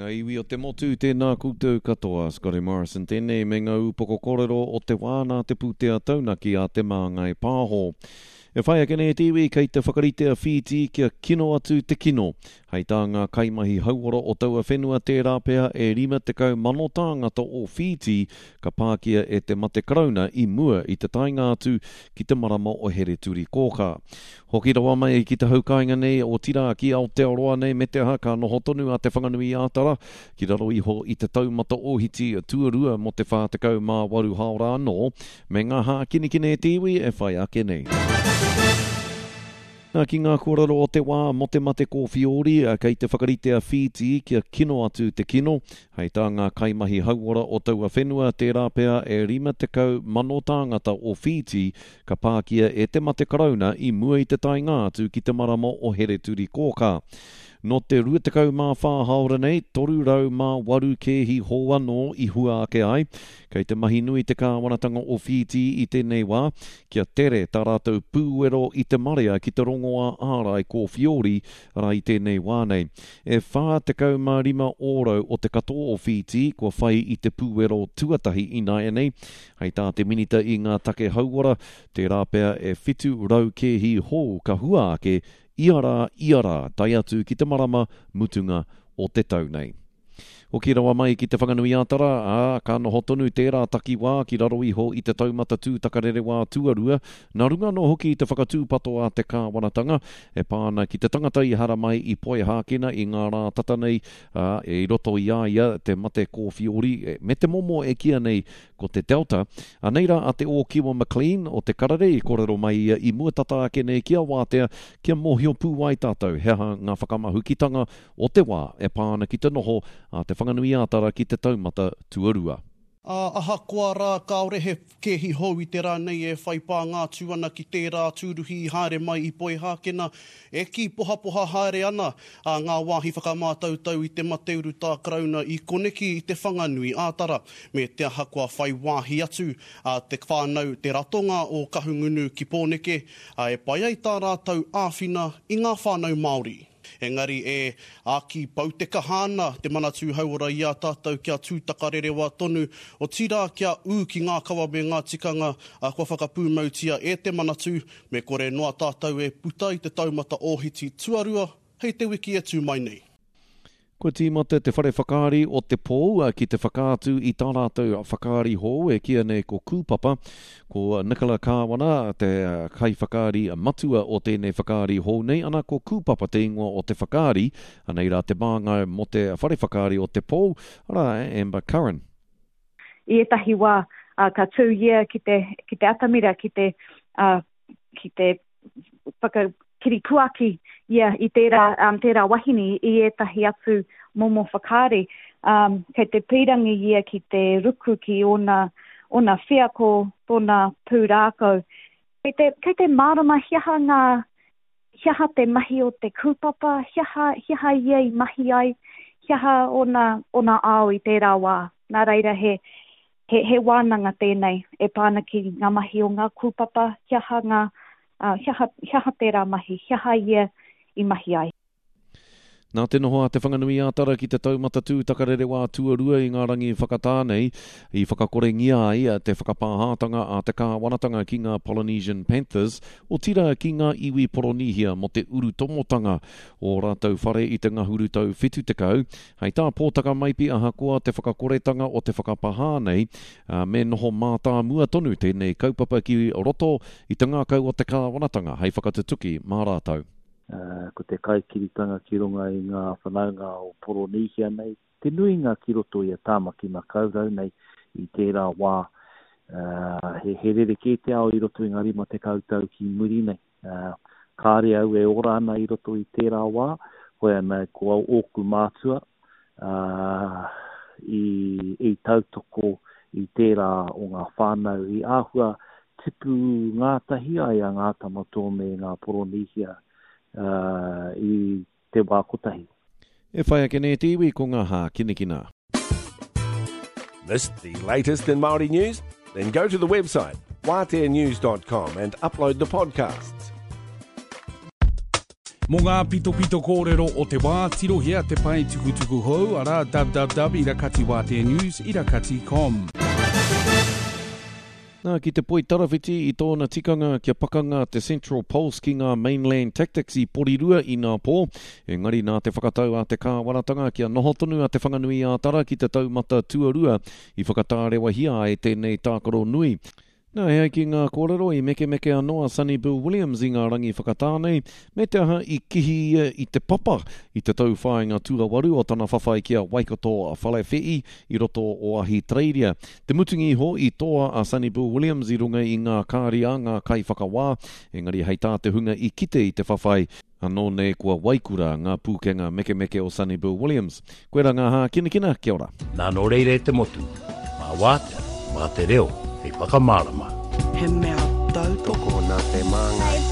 ngā iwi o te motu, tēnā koutou katoa. Scotty Morrison tēnei me ngā ūpoko kōrero o te wā nā te pūtea taunaki a Te Māngai Pāho. E whai ake nei te iwi kei te whakarite a Whītī kia kino atu te kino. Hei tā ngā kaimahi hauora o taua whenua tērā pea e 50,000 tāngata o Whītī ka pākia e te mate karauna i mua i te taenga atu ki te marama o Hereturikōkā. Hoki rawa mai ki te hau kāinga nei, otirā ki Aotearoa nei me te aha ka noho tonu a Te Whanganui-ā-Tara ki raro iho i te taumata ōhiti tuarua mō te 48 hāora anō me ngā hākinikini e te iwi e whai ake nei. Nā, ki ngā kōrero o te wā mō te mate kōwhiori, kei te whakarite a Whītī kia kino atu te kino. Hei tā ngā kaimahi hauora o taua whenua, tērā pea e 50,000 tāngata o Whītī ka pākia e te mate karauna i mua i te taenga atu ki te marama o Hereturikōkā. Nō te 24 hāora nei, 308 kēhi hou anō i hua ake ai. Kei te mahi nui te kāwanatanga o Whītī i tēnei wā kia tere tā rātou pūwero i te marea ki te rongoā ārai kōwhiori rā i tēnei wā nei. E 45 ōrau o te katoa o Whītī kua whai i te pūwero tuatahi ināianei, Hei tā te Minita i ngā take hauora, tērā pea e 700 kēhi hou ka hua ake ia rā, ia rā, tae atu ki te marama mutunga o te tau nei. Hoki rawa mai ki Te Whanganui-a-Tara, ā, ka noho tonu tērā takiwā ki raro iho i te taumata tūtakarerewā tuarua, nā runga anō hoki i te whakatūpato a te kāwanatanga e pā ana ki te tangata i haramai i Poihākena i ngā rā tata nei, ā, i roto i a ia te mate kōwhiori me te momo e kīa nei ko te Delta. Anei rā a Te Ōkiwa McLean o Te Karere i kōrero mai ia i mua tata ake nei ki a Wātea kia mōhio pū ai tātou he aha ngā whakamahukitanga o te wā e pā ana ki te noho a Te Whanganui-ā-Tara ki te taumata tuarua. Ā, ahakoa rā kāore he kēhi hou i te rā nei e whai pānga atu ana ki tērā tūruhi i haere mai i Poihākena, e kī pohapoha haere ana a ngā wāhi whakamātautau i te mate urutā Karauna i koneki i Te Whanganui ā-Tara, me te aha kua whai wāhi atu a te whānau te ratonga o Kahungunu ki Pōneke, ā, e pai ai tā rātou āwhina i ngā whānau Māori. Engari e āki pau te kaha ana te Manatū Hauora i a tātou kia tūtakarerewa tonu, otirā kia ū ki ngā kawa me ngā tikanga kua whakapūmautia e te Manatū, me kore noa tātou e puta i te taumata ōhiti tuarua hei te wiki e tū mai nei. Kua tīmata te whare whakaari o Te Pou ki te whakaatu i tā rātou whakaari hou e kīia nei ko Kūpapa. Ko Nicola Kāwana te kaiwhakaari matua o tēnei whakaari hou nei, ana ko Kūpapa te ingoa o te whakaari. Anei rā te māngai mō te whare whakaari o Te Pou, arā a Amber Curran. I ētahi wā, ka tū ia ki te, ki te atamira, ki te, ki te whakakiripuaki ia i tērā, um, tērā wahine i ētahi atu momo whakaari. Um, kei te pīrangi ia ki te ruku ki ōna, ōna wheako, tōna pūrākau. Kei te, kei te mārama he aha ngā, he aha te mahi o te kūpapa, he aha, he aha ia i mahi ai, he aha ōna, ōna ao i tērā wā. Nā reira he, He, he wānanga tēnei e pā ana ki ngā mahi o ngā kūpapa, he aha ngā, ā, he aha, he aha tērā mahi, he aha ia i mahi ai. Nā te noho a Te Whanganui-ā-Tara ki te taumata tūtakarerewā tuarua i ngā rangi whakatā nei, i whakakorengia ai te whakapāhātanga a te kāwanatanga ki ngā Polynesian Panthers, otirā ki ngā iwi Poronīhia mō te urutomotanga o ō rātou whare i te ngahuru tau 70, Hei tā Pōtaka Maipi ahakoa te whakakoretanga o te whakapahā nei, me noho mātāmua tonu tēnei kaupapa ki roto i te ngākau o te kāwanatanga hei whakatutuki mā rātou. Ko te kaikiritanga ki runga i ngā whanaunga o Poronīhia nei, te nuinga ki roto i a Tāmaki Makaurau nei i tērā wā, he rerekē te ao i roto i ngā 50 tau ki muri nei. Kāre au e ora ana i roto i tērā wā, hoi ana ko ōku mātua i, i tautoko i tērā o ngā whānau i āhua tipu ngātahi ai a Ngā Tama Toa me ngā Poronīhia i te wā kotahi. E whai ake nei te iwi ko ngā hākinakina. Missed the latest in Māori news? Then go to the website wāteanews.com and upload the podcasts. Mō ngā pitopito kōrero o te wā, tirohia te pae tukutuku hou, arā, www ira kati wātea news ira kati com. Nā, ki te poitarawhiti i tōna tikanga kia pakanga te Central Pulse ki ngā Mainland Tactics i Porirua inapō, engari nā te whakatau a te kāwanatanga kia noho tonu a Te Whanganui-ā-Tara ki te taumata tuarua i whakatārewahia ai tēnei tākaro nui. Nā, e ai ki ngā kōrero, i mekemeke anō a Sonny Bill Williams i ngā rangi whakatā nei, me te aha i kihi ia i te papa i te tauwhāinga tuawaru o tana whawhai ki a Waikato Falefe'i i roto o Ahitereiria. Te mutunga iho, i toa a Sonny Bill Williams i runga i ngā kāri a ngā kaiwhakawā, engari hei tā te hunga i kite i te whawhai, Anō nei kua waikura ngā pūkenga mekemeke o Sonny Bill Williams. Koirā ngā hākinakina, kia ora. Nā nō reira e te motu, mā wātea, mā te reo hei whakamārama. He mea tautoko nā te Māngai.